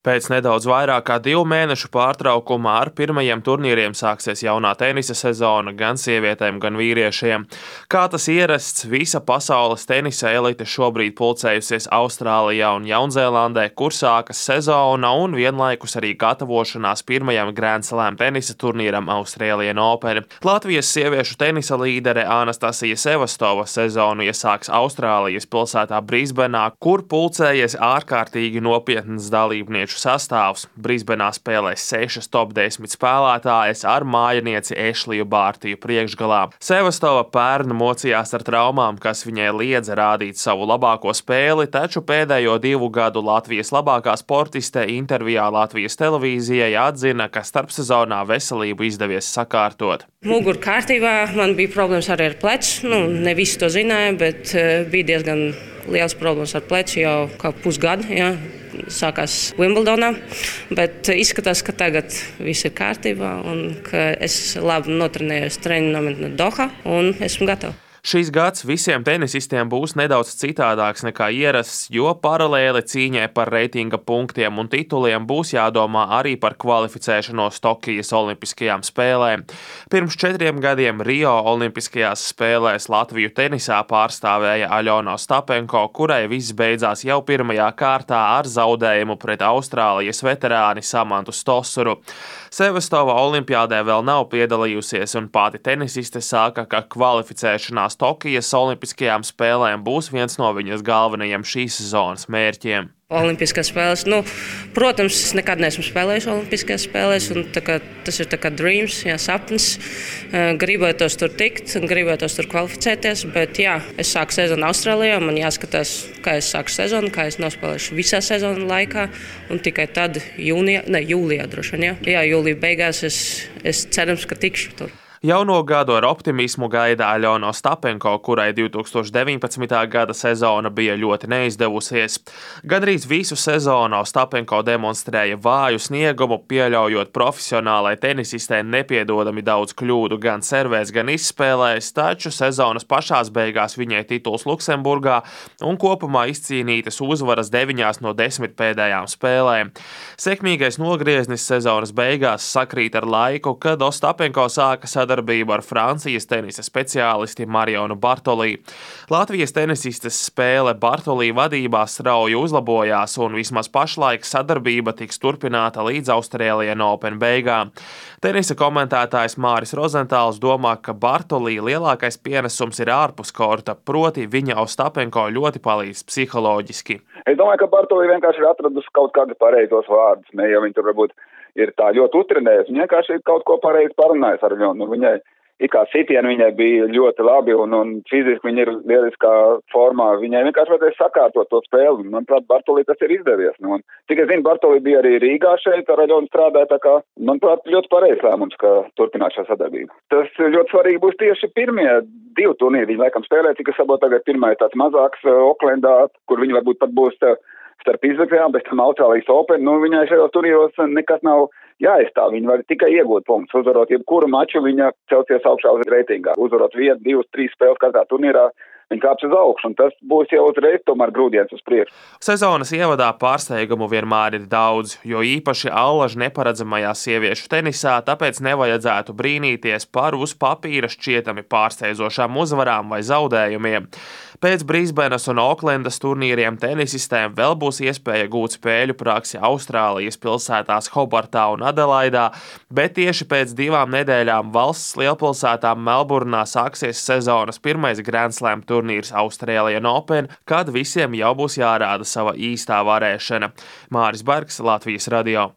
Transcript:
Pēc nedaudz vairāk kā 2 mēnešu pārtraukumā ar pirmajiem turnīriem sāksies jaunā tenisa sezona gan sievietēm, gan vīriešiem. Kā tas ierasts, visa pasaules tenisa elite šobrīd pulcējusies Austrālijā un Jaunzēlandē, kur sākas sezona un vienlaikus arī gatavošanās pirmajam Grand Slam tenisa turnīram Australian Open. Latvijas sieviešu tenisa līdere Anastasija Sevastova sezonu iesāks Austrālijas pilsētā Brisbenā, kur pulcējies ārkārtīgi nopietnas dalībnieku sastāvs. Brisbenā spēlēs 6 top 10 spēlētājas ar mājinieci Ešliju Bārtiju priekšgalā. Sevastova pērn mocījās ar traumām, kas viņai liedza rādīt savu labāko spēli, taču pēdējo 2 gadu Latvijas labākā sportiste intervijā Latvijas televīzijai atzina, ka starpsezonā veselību izdevies sakārtot. Mugura kārtībā, man bija problēmas arī ar pleci. Ne visi to zināja, bet bija diezgan liels problēmas ar pleci jau kā pusgadu. Ja. Sākās Wimbledonā, bet izskatās, ka tagad viss ir kārtībā un ka es labi notrenējos treniņu nometnē Dohā un esmu gatava. Šīs gads visiem tenisistiem būs nedaudz citādāks nekā ierasts, jo paralēli cīņai par reitinga punktiem un tituliem būs jādomā arī par kvalificēšanos Tokijas olimpiskajām spēlēm. Pirms 4 gadiem Rio olimpiskajās spēlēs Latviju tenisā pārstāvēja Aļona Ostapenko, kurai viss beidzās jau pirmajā kārtā ar zaudējumu pret Austrālijas veterāni Samantu Stosuru. Sevastova olimpiādē vēl nav piedalījusies, un pati tenisiste saka, ka kvalificēšanās Tokijas olimpiskajām spēlēm būs viens no viņas galvenajiem šīs sezonas mērķiem. Olimpiskās spēles, protams, es nekad neesmu spēlējis Olimpiskās spēlēs, un tas ir tā kā dreams, sapnis. Gribētos tur tikt, gribētos tur kvalificēties, bet es sāku sezonu Austrālijā, man jāskatās, kā es sāku sezonu, kā es nospēlēšu visā sezonu laikā, un tikai tad jūlijā droši vien, jūlijā beigās es cerams, ka tikšu tur. Jauno gadu ar optimismu gaida Aļona Ostapenko, kurai 2019. gada sezona bija ļoti neizdevusies. Gandrīz visu sezonu Ostapenko demonstrēja vāju sniegumu, pieļaujot profesionālai tenisistē nepiedodami daudz kļūdu gan servēs, gan izspēlēs, taču sezonas pašās beigās viņai tituls Luksemburgā un kopumā izcīnītas uzvaras 9 no 10 pēdējām spēlēm. Sekmīgais nogrieznis sezonas beigās sakrīt ar laiku, kad Ostapenko sāka sadarbību ar Francijas tenisa speciālisti Marionu Bartolī. Latvijas tenisistes spēle Bartolī vadībā strauji uzlabojās, un vismaz pašlaik sadarbība tiks turpināta līdz Australian Open beigām. Tenisa komentētājs Māris Rozentāls domā, ka Bartolī lielākais pienesums ir ārpus korta, proti viņa Ostapenko ļoti palīdz psiholoģiski. Es domāju, ka Bartolī vienkārši ir atradusi kaut kādus pareizos vārdus, ne jau viņi tur varbūt ir tā ļoti utrenējusi, viņa vienkārši kaut ko pareizi parunājusi ar viņu. Viņai ikā sitieni viņai bija ļoti labi un fiziski viņa ir lieliskā formā. Viņai vienkārši vajadzēja sakārtot to spēli. Manuprāt, Bartolī tas ir izdevies. Cik es zinu, Bartolī bija arī Rīgā šeit ar Aļonu strādāja, tā kā, manuprāt, ļoti pareizs lēmums, ka turpināt šo sadarbību. Tas ļoti svarīgi būs tieši pirmie 2 turnīri. Viņi laikam spēlē, cik es saprotu, tagad pirmā ir tāds mazāks Oklendā, kur viņi varbūt pat būs starp izvirkļām, bet tam Austrālijas Open, viņai šajos turnīros nekas nav jāizstāv. Viņa var tikai iegūt punktus. Uzvarot jebkuru maču, viņa celsies augšā uz reitingā. Uzvarot 1, 2, 3 spēles katrā turnīrā, viņa kāps uz augšu, un tas būs jau uzreiz tomēr grūdienis uz priekšu. Sezonas ievadā pārsteigumu vienmēr ir daudz, jo īpaši allaž neparedzamajā sieviešu tenisā, tāpēc nevajadzētu brīnīties par uz papīra šķietami pārsteidzošām uzvarām vai zaudējumiem. Pēc Brisbenas un Oklendas turnīriem tenisistēm vēl būs iespēja gūt spēļu praksi Austrālijas pilsētās Hobartā un Adelaidā, bet tieši pēc 2 nedēļām valsts lielpilsētā Melburnā sāksies sezonas pirmais Grand Slam turnīrs Australian Open, kad visiem jau būs jārāda sava īstā varēšana. Māris Bergs, Latvijas radio.